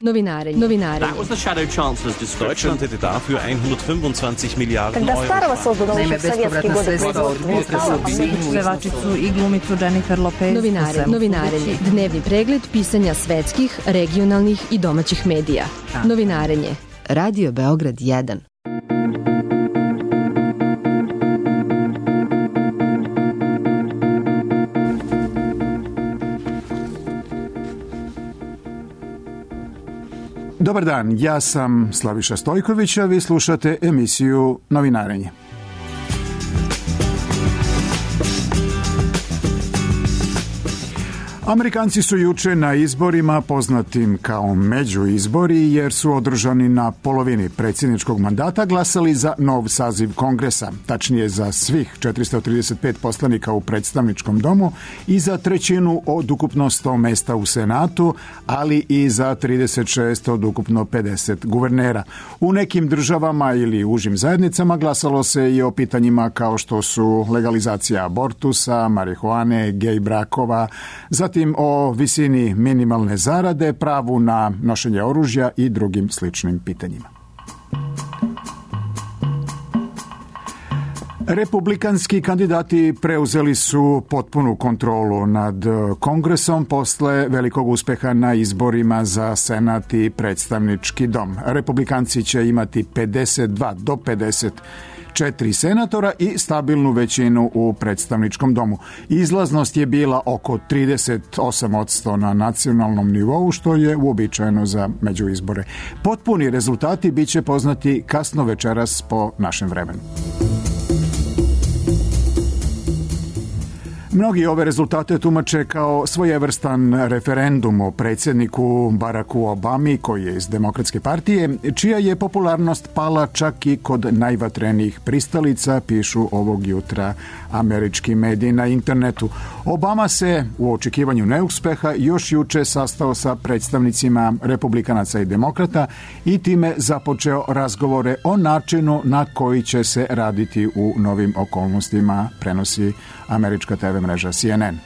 Novinarenje. That was the Shadow Chancellor's description. Deutschland hätte dafür 125 Miliarden Когда Старого создано еще в советские годы Pevačicu i glumicu Jennifer Lopez. Novinarenje. Dnevni pregled pisanja svetskih, regionalnih i domaćih medija. Novinarenje. Radio Beograd 1. Dobar dan, ja sam Slaviša Stojković, a vi slušate emisiju Novinarenje. Amerikanci su juče na izborima, poznatim kao međuizbori, jer su održani na polovini predsjedničkog mandata, glasali za nov saziv Kongresa, tačnije za svih 435 poslanika u predstavničkom domu i za trećinu od ukupno 100 mesta u Senatu, ali i za 36 od ukupno 50 guvernera. U nekim državama ili užim zajednicama glasalo se i o pitanjima kao što su legalizacija abortusa, marihuane, gej brakova, zatim o visini minimalne zarade, pravu na nošenje oružja i drugim sličnim pitanjima. Republikanski kandidati preuzeli su potpunu kontrolu nad Kongresom posle velikog uspeha na izborima za Senat i predstavnički dom. Republikanci će imati 52 do 54 senatora i stabilnu većinu u predstavničkom domu. Izlaznost je bila oko 38% na nacionalnom nivou, što je uobičajeno za međuizbore. Potpuni rezultati biće poznati kasno večeras po našem vremenu. Mnogi ove rezultate tumače kao svojevrstan referendum o predsjedniku Baracku Obami, koji je iz Demokratske partije, čija je popularnost pala čak i kod najvatrenijih pristalica, pišu ovog jutra američki mediji na internetu. Obama se u očekivanju neuspeha još juče sastao sa predstavnicima republikanaca i demokrata i time započeo razgovore o načinu na koji će se raditi u novim okolnostima, prenosi američka TV mreža CNN.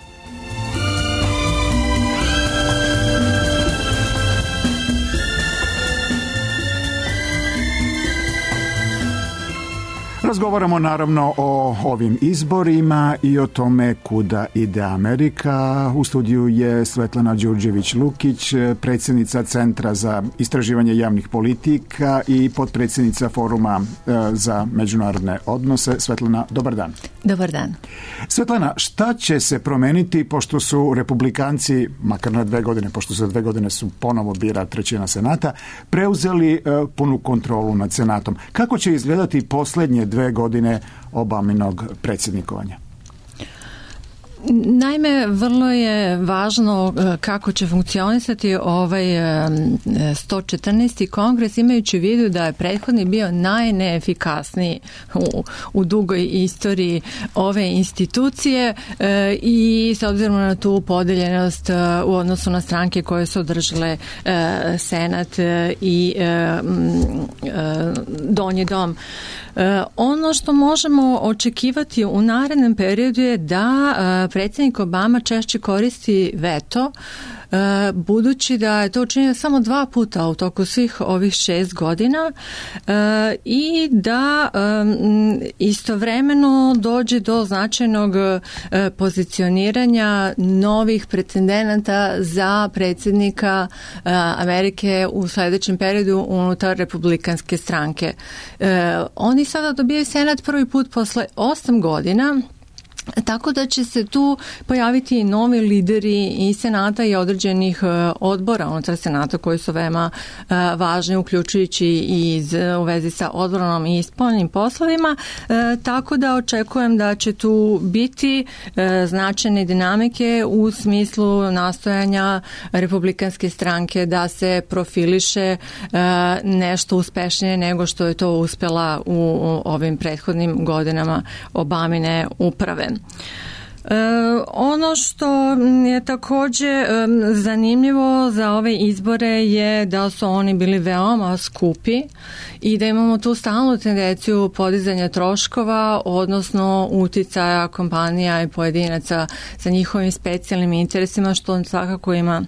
Razgovaramo naravno o ovim izborima i o tome kuda ide Amerika. U studiju je Svetlana Đurđević-Lukić, predsjednica Centra za istraživanje javnih politika i potpredsjednica Foruma za međunarodne odnose. Svetlana, dobar dan. Dobar dan. Svetlana, šta će se promeniti pošto su republikanci, makar na 2 godine, pošto za 2 godine su ponovo bira trećina Senata, preuzeli punu kontrolu nad Senatom? Kako će izgledati posljednje 2 godine Obaminog predsjednikovanja? Naime, vrlo je važno kako će funkcionisati ovaj 114. kongres, imajući u vidu da je prethodni bio najneefikasniji u dugoj istoriji ove institucije i s obzirom na tu podeljenost u odnosu na stranke koje su održale Senat i Donji dom. Ono što možemo očekivati u narednom periodu je da predsjednik Obama češće koristi veto, budući da je to učinio samo 2 puta u toku svih ovih 6 godina i da istovremeno dođe do značajnog pozicioniranja novih pretendenata za predsjednika Amerike u sljedećem periodu unutar republikanske stranke. Oni sada dobijaju Senat prvi put posle 8 godina, tako da će se tu pojaviti novi lideri i Senata i određenih odbora unutar Senata koji su veoma važni, uključujući i u vezi sa odbranom i spoljnim poslovima, tako da očekujem da će tu biti značajne dinamike u smislu nastojanja republikanske stranke da se profiliše nešto uspešnije nego što je to uspjela u ovim prethodnim godinama Obamine uprave. Ono što je također zanimljivo za ove izbore je da su oni bili veoma skupi i da imamo tu stalnu tendenciju podizanja troškova, odnosno uticaja kompanija i pojedinaca sa njihovim specijalnim interesima, što svakako ima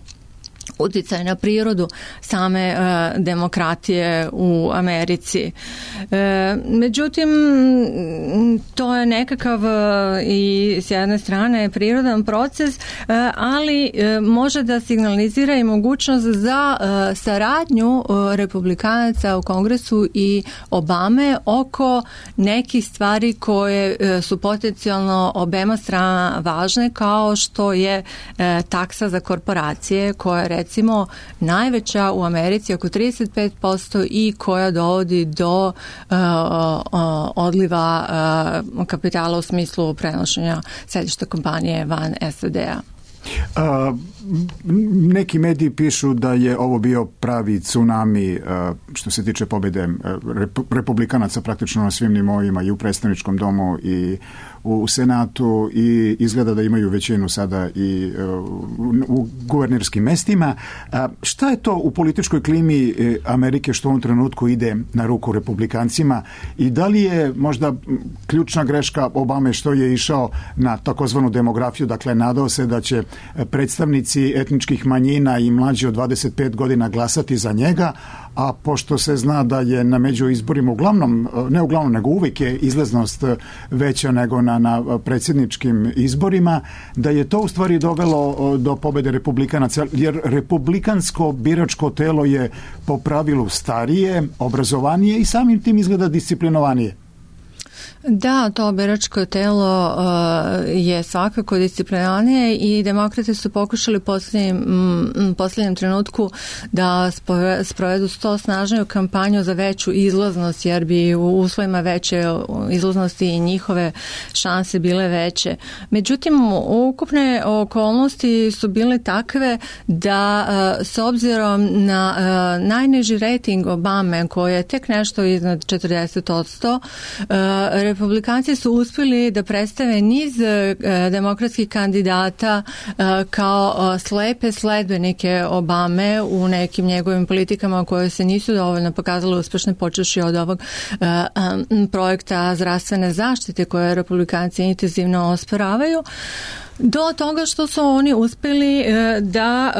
uticaj na prirodu same demokratije u Americi. Međutim, to je nekakav i s jedne strane prirodan proces, ali može da signalizira i mogućnost za saradnju republikanaca u Kongresu i Obame oko nekih stvari koje su potencijalno obema strana važne, kao što je taksa za korporacije, koja je recimo najveća u Americi, oko 35%, i koja dovodi do odliva kapitala u smislu prenošenja sedišta kompanije van SAD-a. Neki mediji pišu da je ovo bio pravi tsunami što se tiče pobjede republikanaca praktično na svim nivoima, i u predstavničkom domu i u Senatu, i izgleda da imaju većinu sada i u guvernerskim mestima. Šta je to u političkoj klimi Amerike što u ovom trenutku ide na ruku republikancima, i da li je možda ključna greška Obame što je išao na takozvanu demografiju, dakle nadao se da će predstavnici etničkih manjina i mlađi od 25 godina glasati za njega, a pošto se zna da je na međuizborima nego uvijek je izlaznost veća nego na predsjedničkim izborima, da je to u stvari dovelo do pobjede republikanaca, jer republikansko biračko telo je po pravilu starije, obrazovanije i samim tim izgleda disciplinovanije. Da, to biračko telo je svakako disciplinarnije, i demokrati su pokušali u posljednjem trenutku da sprovedu snažniju kampanju za veću izlaznost, jer bi u uslovima veće izlaznosti i njihove šanse bile veće. Međutim, ukupne okolnosti su bile takve da s obzirom na najniži rating Obame, koji je tek nešto iznad 40%, republikanci su uspjeli da predstave niz demokratskih kandidata kao slepe sledbenike Obame u nekim njegovim politikama koje se nisu dovoljno pokazale uspješne, počevši od ovog projekta zdravstvene zaštite koje republikanci intenzivno osporavaju, do toga što su oni uspjeli da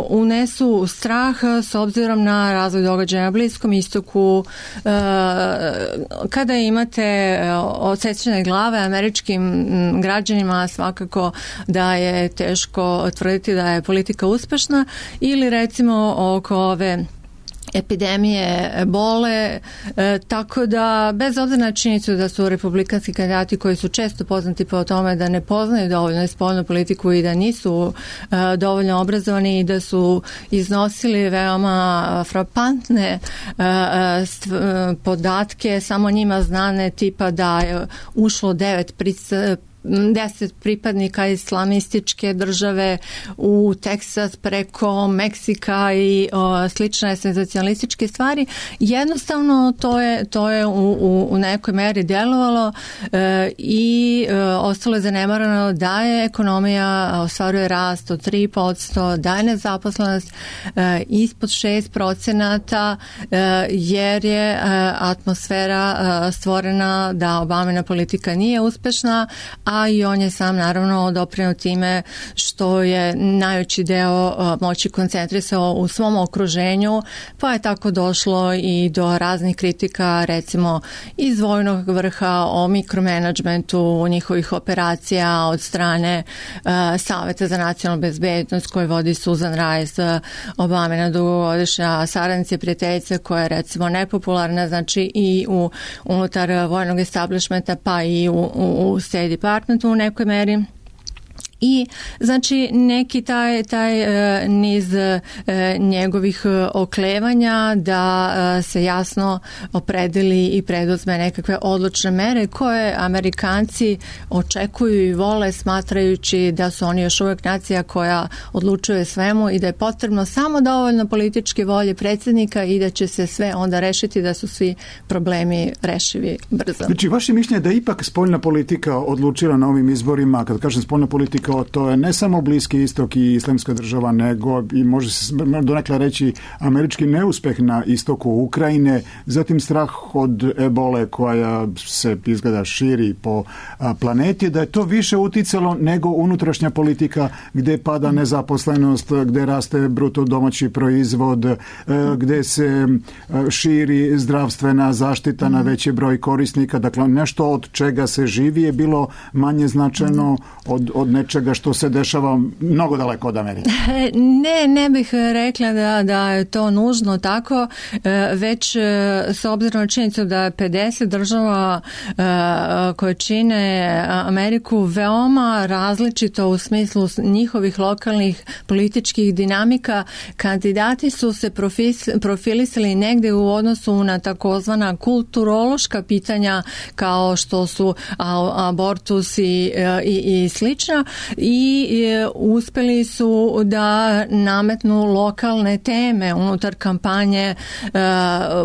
unesu strah s obzirom na razvoj događaja na Bliskom istoku. Kada imate odsečene glave američkim građanima, svakako da je teško tvrditi da je politika uspješna, ili recimo oko ove epidemije ebole, tako da bez obzira na činjenicu da su republikanski kandidati koji su često poznati po tome da ne poznaju dovoljno spoljnu politiku i da nisu dovoljno obrazovani i da su iznosili veoma frapantne podatke, samo njima znane, tipa da je ušlo 10 pripadnika islamističke države u Teksas preko Meksika i slične senzacionalističke stvari. Jednostavno to je u nekoj meri djelovalo i ostalo je zanemarano da je ekonomija ostvaruje rast od 3%, da je nezaposlenost ispod 6%, jer je atmosfera stvorena da Obamina politika nije uspješna, a i on je sam naravno doprinio time što je najveći deo moći koncentrisao u svom okruženju, pa je tako došlo i do raznih kritika, recimo iz vojnog vrha o mikromanagementu njihovih operacija od strane Saveta za nacionalnu bezbednost koji vodi Susan Rice, Obamina dugogodišnja saradnica i prijateljica, koja je recimo nepopularna, znači i unutar vojnog establishmenta, pa i u State Departmentu u nekoj meri. I znači neki taj niz njegovih oklevanja da se jasno opredeli i preduzme nekakve odlučne mere koje Amerikanci očekuju i vole, smatrajući da su oni još uvijek nacija koja odlučuje svemu i da je potrebno samo dovoljno političke volje predsjednika i da će se sve onda rešiti, da su svi problemi rešivi brzo. Znači, vaše mišljenje da ipak spoljna politika odlučila na ovim izborima, kad kažem spoljna politika, rekao, to je ne samo Bliski istok i Islamska država, nego i može se donekle reći američki neuspeh na istoku Ukrajine, zatim strah od ebole koja se izgleda širi po planeti, da je to više uticalo nego unutrašnja politika gdje pada nezaposlenost, gdje raste bruto domaći proizvod, gdje se širi zdravstvena zaštita na veći broj korisnika. Dakle, nešto od čega se živi je bilo manje značajno od nečega što se dešava mnogo daleko od Amerike. Ne bih rekla da je to nužno tako, već s obzirom na činjenicu da je 50 država koje čine Ameriku veoma različito u smislu njihovih lokalnih političkih dinamika, kandidati su se profilisali negdje u odnosu na takozvana kulturološka pitanja kao što su abortus i slično, i uspjeli su da nametnu lokalne teme unutar kampanje,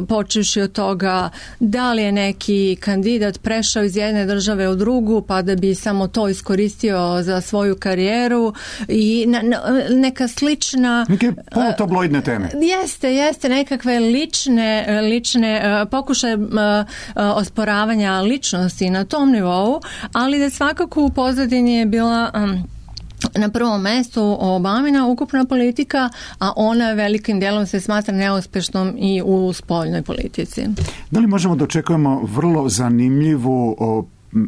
počevši od toga da li je neki kandidat prešao iz jedne države u drugu pa da bi samo to iskoristio za svoju karijeru i neka slična... Neke polutabloidne teme. Jeste, nekakve lične pokušaje osporavanja ličnosti na tom nivou, ali da svakako u pozadini je bila na prvom mjestu Obamina ukupna politika, a ona velikim dijelom se smatra neuspješnom i u spoljnoj politici. Da li možemo da očekujemo vrlo zanimljivu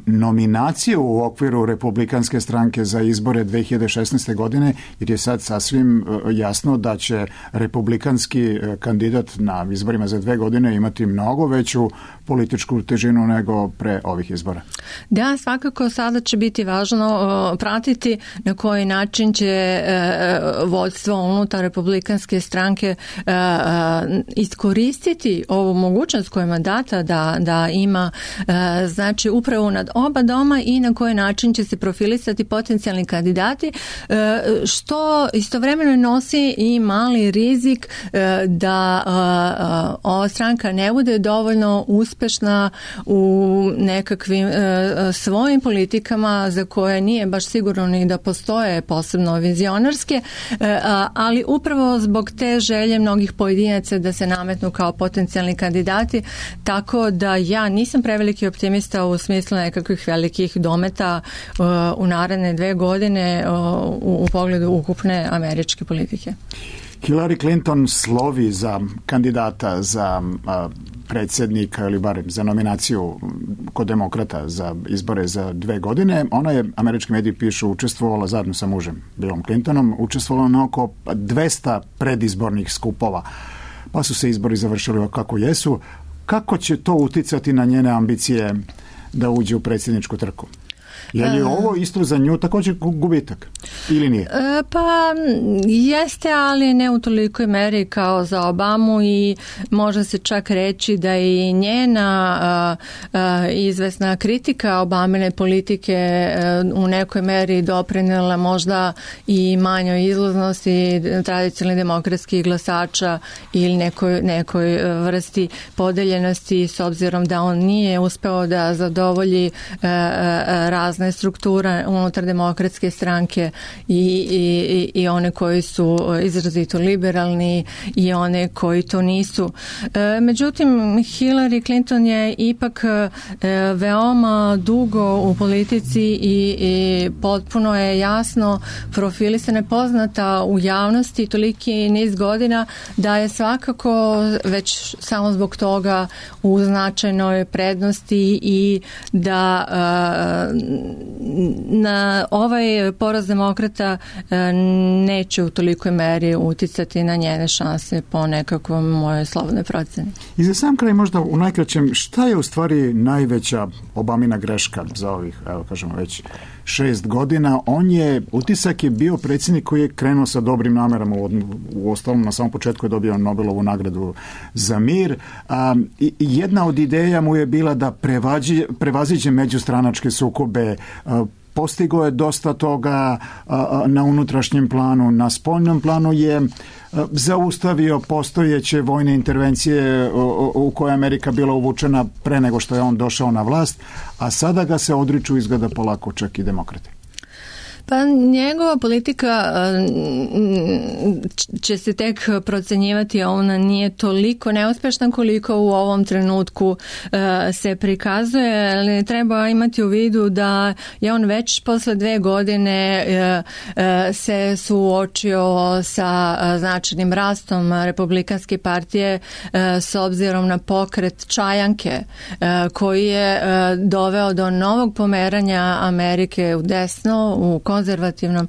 nominaciju u okviru Republikanske stranke za izbore 2016. godine, jer je sad sasvim jasno da će republikanski kandidat na izborima za 2 godine imati mnogo veću političku težinu nego pre ovih izbora. Da, svakako sada će biti važno pratiti na koji način će vodstvo unutar Republikanske stranke iskoristiti ovu mogućnost koju ima data da ima znači upravo nad oba doma i na koji način će se profilisati potencijalni kandidati, što istovremeno nosi i mali rizik da ova stranka ne bude dovoljno uspješna u nekakvim svojim politikama za koje nije baš sigurno ni da postoje posebno vizionarske, ali upravo zbog te želje mnogih pojedinaca da se nametnu kao potencijalni kandidati, tako da ja nisam preveliki optimista u smislu nekakvih velikih dometa u naredne 2 godine u pogledu ukupne američke politike. Hillary Clinton slovi za kandidata za predsjednika ili barem za nominaciju kod demokrata za izbore za 2 godine. Ona je, američki mediji pišu, učestvovala zajedno sa mužem Billom Clintonom, učestvovala na oko 200 predizbornih skupova. Pa su se izbori završili kako jesu. Kako će to uticati na njene ambicije da uđe u predsjedničku trku? Je li ovo isto za nju također gubitak ili nije? Pa jeste, ali ne u tolikoj meri kao za Obamu i može se čak reći da i njena izvesna kritika Obamine politike u nekoj meri doprinela možda i manjoj izlaznosti tradicionalnih demokratskih glasača ili nekoj vrsti podeljenosti, s obzirom da on nije uspeo da zadovolji razne struktura unutar demokratske stranke i one koji su izrazito liberalni i one koji to nisu. Međutim, Hillary Clinton je ipak veoma dugo u politici i potpuno je jasno profilisana, poznata u javnosti toliki niz godina da je svakako već samo zbog toga u značajnoj prednosti i da na ovaj poraz demokrata neće u tolikoj meri uticati na njene šanse po nekakvom mojoj slobodnoj proceni. I za sam kraj možda u najkraćem, šta je u stvari najveća Obamina greška za ovih, evo kažemo već 6 godina? Utisak je bio predsjednik koji je krenuo sa dobrim namerama, u ostalom na samom početku je dobio Nobelovu nagradu za mir. Jedna od ideja mu je bila da prevaziđe međustranačke sukobe, postigao je dosta toga na unutrašnjem planu, na spoljnom planu je zaustavio postojeće vojne intervencije u koje je Amerika bila uvučena pre nego što je on došao na vlast, a sada ga se odriču izgleda polako čak i demokrate. Pa njegova politika će se tek procenjivati, ona nije toliko neuspešna koliko u ovom trenutku se prikazuje, ali treba imati u vidu da je on već posle 2 godine se suočio sa značajnim rastom Republikanske partije s obzirom na pokret Čajanke koji je doveo do novog pomeranja Amerike u desno, u konzervativnom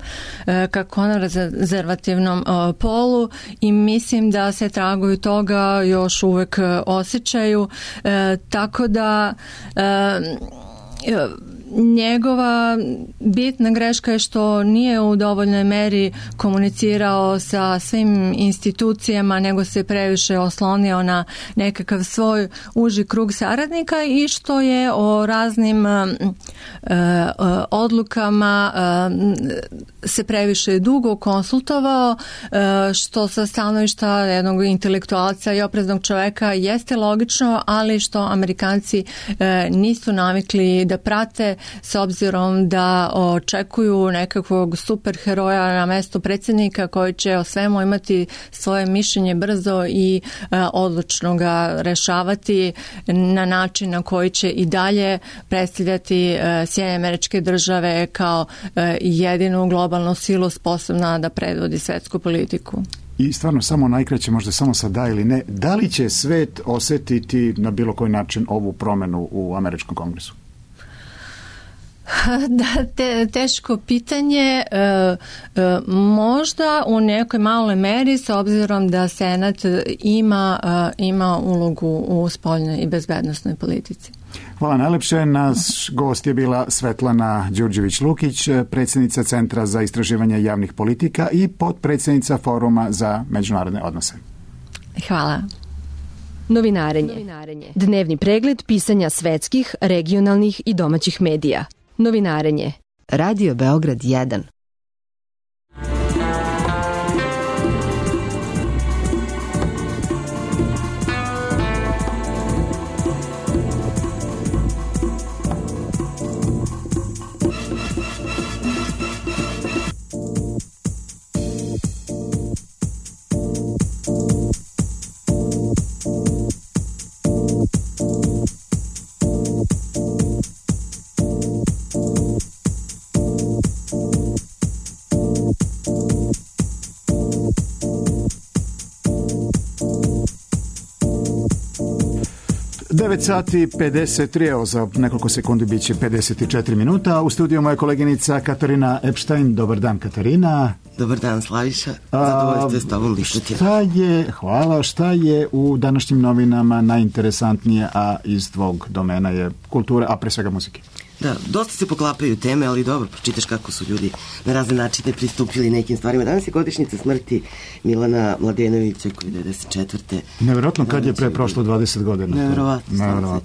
polu i mislim da se tragovi toga još uvek osjećaju, tako da njegova bitna greška je što nije u dovoljnoj meri komunicirao sa svim institucijama, nego se previše oslonio na nekakav svoj uži krug saradnika i što je o raznim odlukama se previše dugo konsultovao, što sa stanovišta jednog intelektualca i opreznog čoveka jeste logično, ali što Amerikanci nisu navikli da prate s obzirom da očekuju nekakvog superheroja na mesto predsjednika koji će o svemu imati svoje mišljenje brzo i odlučno ga rešavati na način na koji će i dalje predstavljati Sjedinjene Američke Države kao jedinu globalnu silu sposobna da predvodi svetsku politiku. I stvarno samo najkraće, možda samo sa da ili ne, da li će svet osetiti na bilo koji način ovu promenu u Američkom kongresu? Da, teško pitanje, možda u nekoj maloj meri s obzirom da Senat ima ulogu u spoljnoj i bezbednosnoj politici. Hvala najlepše. Naš gost je bila Svetlana Đurđević-Lukić, predsjednica Centra za istraživanje javnih politika i potpredsjednica Foruma za međunarodne odnose. Hvala. Novinarenje. Dnevni pregled pisanja svetskih, regionalnih i domaćih medija. Novinarenje. Radio Beograd 1. Sati 53, evo za nekoliko sekundi bit će 54 minuta. U studiju moja koleginica Katarina Epstein. Dobar dan, Katarina. Dobar dan, Slaviša. Zadovoljstvo s tobom lišati. Šta je u današnjim novinama najinteresantnije, a iz tvog domena je kultura, a pre svega muzike? Da, dosta se poklapaju teme, ali dobro, pročitaš kako su ljudi na razne načine pristupili nekim stvarima. Danas je godišnjica smrti Milana Mladenovića, koji je 94. Nevjerojatno, kad je pre prošlo 20 godina. Nevjerojatno.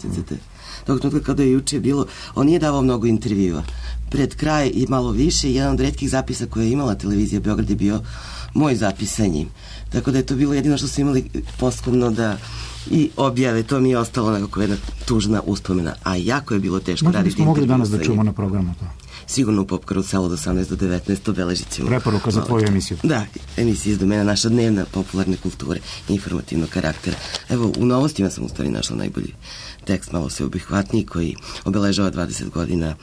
Tog trenutka kada je juče bilo, on nije davao mnogo intervjua. Pred kraj i malo više, jedan od retkih zapisa koje je imala televizija Beograd je bio moj zapis sa njim. Tako da je to bilo jedino što su imali poslovno da i objave, to mi je ostalo nekako jedna tužna uspomena, a jako je bilo teško raditi intervju. Možda bismo mogli danas da čujemo na programu to. Sigurno u Pop Karuselu od 18 do 19 obeležit ćemo. Preporuka za tvoju emisiju. Da, emisija iz domena naša dnevna popularne kulture, informativnog karaktera. Evo, u Novostima sam u stvari našla najbolji tekst, malo sveobuhvatniji, koji obeležava 20 godina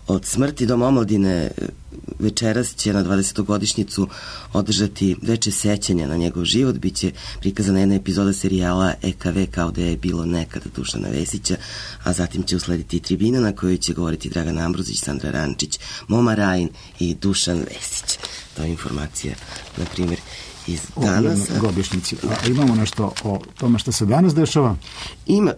od smrti. Dom omladine večeras će na 20. održati veče sećanja na njegov život. Biće prikazana jedna epizoda serijala EKV kao da je bilo nekada Dušana Vesića, a zatim će uslediti tribina na kojoj će govoriti Dragan Ambrozić, Sandra Rančić, Moma Rajin i Dušan Vesić. To je informacija, na primjer, iz danas. A imamo nešto o tome što se danas dešava? Ima,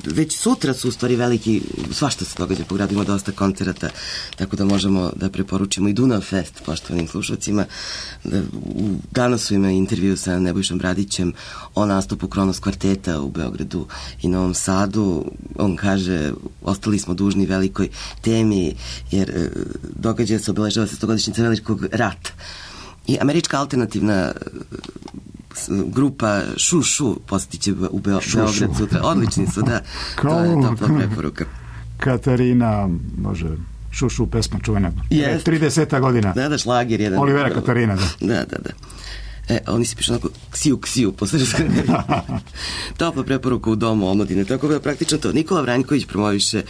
već sutra su u stvari veliki, svašta se događa po gradu, ima dosta koncerata, tako da možemo da preporučimo i Dunav Fest poštovanim slušalcima. Danas su ima intervju sa Nebojšom Bradićem o nastupu Kronos kvarteta u Beogradu i Novom Sadu. On kaže, ostali smo dužni velikoj temi, jer događa se, obeležava se 100-godišnjica velikog rata. I američka alternativna grupa Šu posjetit će u Beograd sutra. Odlični su, da. To je topla preporuka. Katarina, može Šušu pesma čuvena. Yes. 30 godina. Da, šlager jedan. Olivera Katarina, da. Da. Oni se pišu onako ksiju, posle topla preporuka u domu omladine, tako da praktično to. Nikola Vranjković promoviše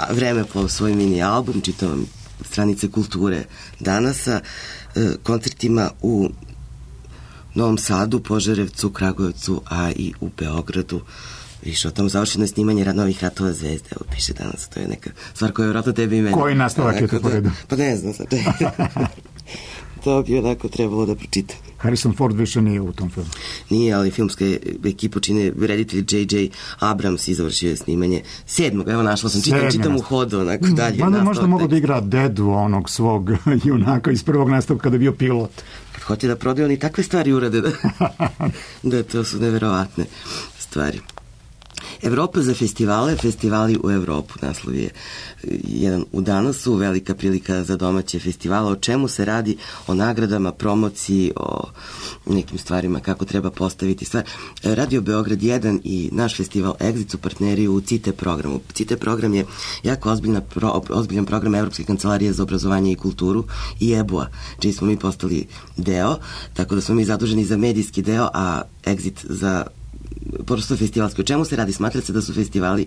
Vremeplov, svoj mini album, čitam stranice kulture danasa, koncertima u Novom Sadu, Požarevcu, Kragujevcu, a i u Beogradu. Više o tom završeno snimanje novih Ratova zvezde, evo piše danas, to je neka stvar koja je vjerojatno tebi i mene. Koji nastavak je to po redu? Pa ne znam sad. To bi onako trebalo da pročitam. Harrison Ford više nije u tom filmu. Nije, ali filmska ekipa čine reditelj J.J. Abrams i završio je snimanje 7. Evo našla sam, čitam u hodu, onako dalje. Mada možda mogu da igra dedu onog svog junaka iz prvog nastavka kada je bio pilot. Kad hoće da prodaju, oni takve stvari urade da to su neverovatne stvari. Evropa za festivale, festivali u Evropu, naslov je jedan u danasu, velika prilika za domaće festivale, o čemu se radi, o nagradama, promociji, o nekim stvarima, kako treba postaviti stvar. Radio Beograd 1 i naš festival Exit su partneri u CITE programu. CITE program je jako ozbiljan program Evropske kancelarije za obrazovanje i kulturu i EBU-a, čiji smo mi postali deo, tako da smo mi zaduženi za medijski deo, a Exit za prosto festivalski. O čemu se radi? Smatra se da su festivali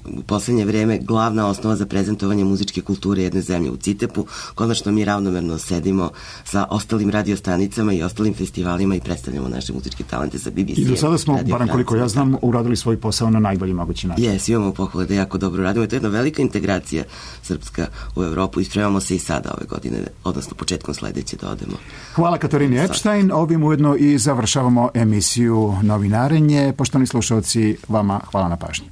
u poslednje vreme glavna osnova za prezentovanje muzičke kulture jedne zemlje. U CITEP-u konačno mi ravnomerno sedimo sa ostalim radiostanicama i ostalim festivalima i predstavljamo naše muzičke talente sa BBC. I do sada smo, barem koliko ja znam, uradili svoj posao na najbolji mogući način. Jes, imamo pohvale da jako dobro radimo. To je jedna velika integracija srpska u Evropu i spremamo se i sada ove godine, odnosno početkom sledeće da odemo. Hvala Katarini Epstein. Ovim ujedno i završavamo emisiju Novinarenje. Poštovani slušalci, vama hvala na pažnji.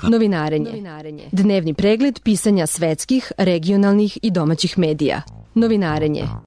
Novinarenje. Dnevni pregled pisanja svetskih, regionalnih i domaćih medija. Novinarenje.